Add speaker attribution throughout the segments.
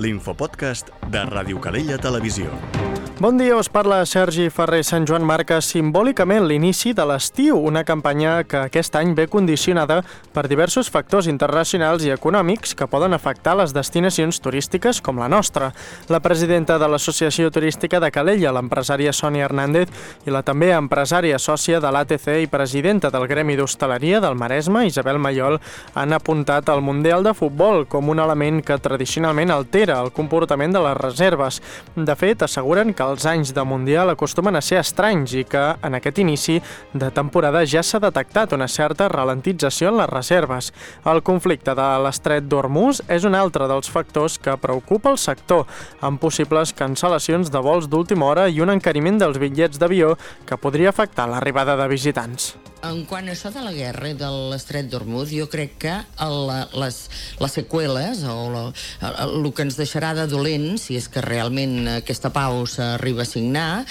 Speaker 1: l'infopodcast de Ràdio Calella Televisió.
Speaker 2: Bon dia, us parla Sergi Ferrer. Sant Joan marca simbòlicament l'inici de l'estiu, una campanya que aquest any ve condicionada per diversos factors internacionals i econòmics que poden afectar les destinacions turístiques com la nostra. La presidenta de l'Associació Turística de Calella, l'empresària Sònia Hernández, i la també empresària sòcia de l'ATC i presidenta del Gremi d'Hostaleria del Maresme, Isabel Mayol, han apuntat al Mundial de Futbol com un element que tradicionalment altera el comportament de les reserves. De fet, asseguren que els anys de Mundial acostumen a ser estranys i que en aquest inici de temporada ja s'ha detectat una certa ralentització en les reserves. El conflicte de l'estret d'Hormuz és un altre dels factors que preocupa el sector, amb possibles cancel·lacions de vols d'última hora i un encariment dels bitllets d'avió que podria afectar l'arribada de visitants.
Speaker 3: En quant a això de la guerra i de l'estret d'Hormuz, jo crec que les seqüeles o el que ens deixarà de dolent, si és que realment aquesta pau s'arriba a signar,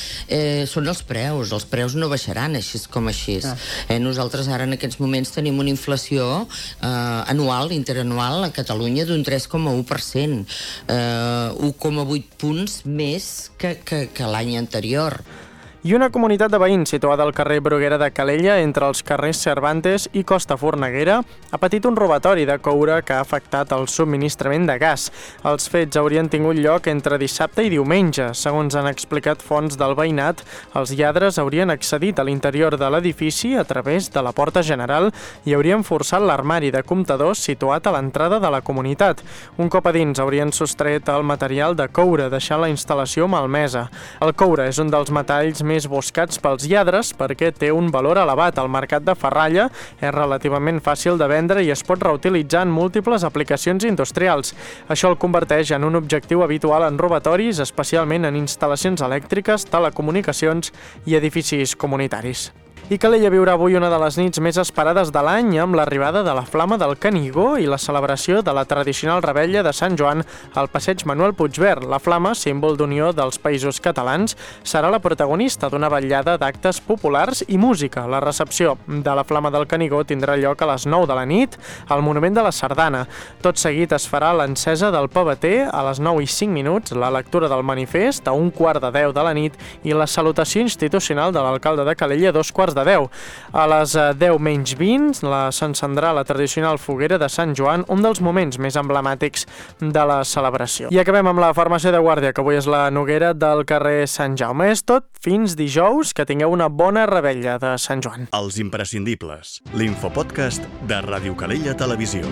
Speaker 3: són els preus. Els preus no baixaran així com així. Nosaltres ara en aquests moments tenim una inflació anual, interanual a Catalunya d'un 3,1%, 1,8 punts més que l'any anterior.
Speaker 2: I una comunitat de veïns situada al carrer Bruguera de Calella, entre els carrers Cervantes i Costa Forneguera, ha patit un robatori de coure que ha afectat el subministrament de gas. Els fets haurien tingut lloc entre dissabte i diumenge. Segons han explicat fonts del veïnat, els lladres haurien accedit a l'interior de l'edifici a través de la porta general i haurien forçat l'armari de comptadors situat a l'entrada de la comunitat. Un cop a dins haurien sostret el material de coure, deixant la instal·lació malmesa. El coure és un dels metalls més buscats pels lladres perquè té un valor elevat al mercat de ferralla, és relativament fàcil de vendre i es pot reutilitzar en múltiples aplicacions industrials. Això el converteix en un objectiu habitual en robatoris, especialment en instal·lacions elèctriques, telecomunicacions i edificis comunitaris. I Calella viurà avui una de les nits més esperades de l'any amb l'arribada de la Flama del Canigó i la celebració de la tradicional revetlla de Sant Joan al passeig Manuel Puigverd. La Flama, símbol d'unió dels països catalans, serà la protagonista d'una vetllada d'actes populars i música. La recepció de la Flama del Canigó tindrà lloc a les 9 de la nit al Monument de la Sardana. Tot seguit es farà l'encesa del PBT a les 9:05, la lectura del manifest a 9:15 de la nit i la salutació institucional de l'alcalde de Calella a 2:15. A les 10:20 s'encendrà la tradicional foguera de Sant Joan, un dels moments més emblemàtics de la celebració. I acabem amb la farmàcia de guàrdia, que avui és la Noguera del carrer Sant Jaume. És tot, fins dijous, que tingueu una bona revetlla de Sant Joan.
Speaker 1: Els imprescindibles, l'infopodcast de Ràdio Calella Televisió.